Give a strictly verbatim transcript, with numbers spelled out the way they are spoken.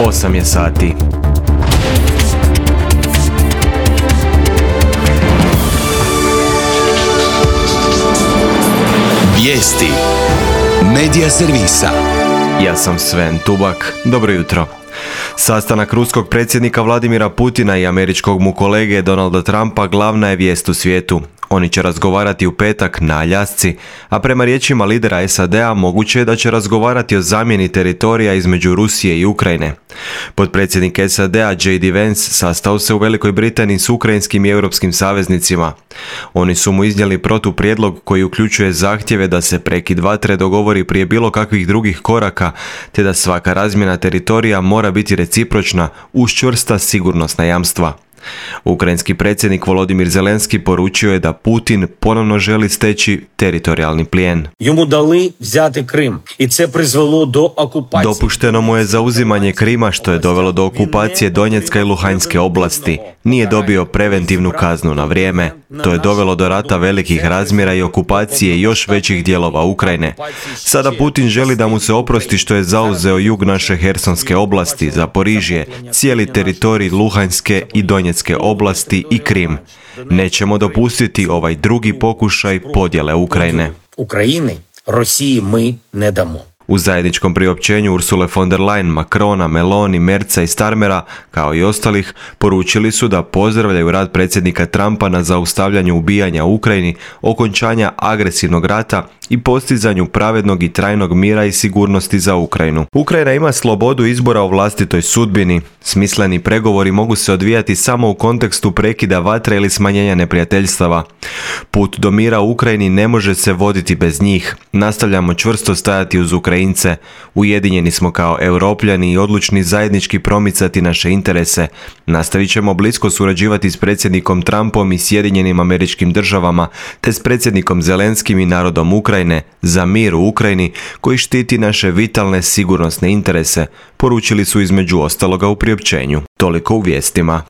osam je sati. Vijesti Medija servisa. Ja sam Sven Tubak. Dobro jutro. Sastanak ruskog predsjednika Vladimira Putina i američkog mu kolege Donalda Trumpa glavna je vijest u svijetu. Oni će razgovarati u petak na Aljasci, a prema riječima lidera S A D-a moguće je da će razgovarati o zamjeni teritorija između Rusije i Ukrajine. Potpredsjednik S A D-a J D Vance sastao se u Velikoj Britaniji s ukrajinskim i europskim saveznicima. Oni su mu iznijeli protuprijedlog koji uključuje zahtjeve da se prekid vatre dogovori prije bilo kakvih drugih koraka, te da svaka razmjena teritorija mora biti recipročna uz čvrsta sigurnosna jamstva. Ukrajinski predsjednik Volodimir Zelenski poručio je da Putin ponovno želi steći teritorijalni plijen. Йому дали взяти Крим, і це призвело до окупації. Dopušteno mu je zauzimanje Krima, što je dovelo do okupacije Donjecka i Luhanjske oblasti. Nije dobio preventivnu kaznu na vrijeme. To je dovelo do rata velikih razmjera i okupacije još većih dijelova Ukrajine. Sada Putin želi da mu se oprosti što je zauzeo jug naše Hersonske oblasti, Zaporižje, cijeli teritorij Luhanjske i Donjecke oblasti i Krim. Nećemo dopustiti ovaj drugi pokušaj podjele Ukrajine. України, Росії ми не дамо. U zajedničkom priopćenju Ursule von der Leyen, Macrona, Meloni, Merza i Starmera, kao i ostalih, poručili su da pozdravljaju rad predsjednika Trumpa na zaustavljanju ubijanja u Ukrajini, okončanja agresivnog rata i postizanju pravednog i trajnog mira i sigurnosti za Ukrajinu. Ukrajina ima slobodu izbora o vlastitoj sudbini. Smisleni pregovori mogu se odvijati samo u kontekstu prekida vatre ili smanjenja neprijateljstava. Put do mira u Ukrajini ne može se voditi bez njih. Nastavljamo čvrsto stajati uz Ukrajince. Ujedinjeni smo kao Europljani i odlučni zajednički promicati naše interese. Nastavit ćemo blisko surađivati s predsjednikom Trumpom i Sjedinjenim Američkim Državama, te s predsjednikom Zelenskim i narodom Ukrajine za mir u Ukrajini koji štiti naše vitalne sigurnosne interese, poručili su između ostaloga u priopćenju. Toliko u vijestima.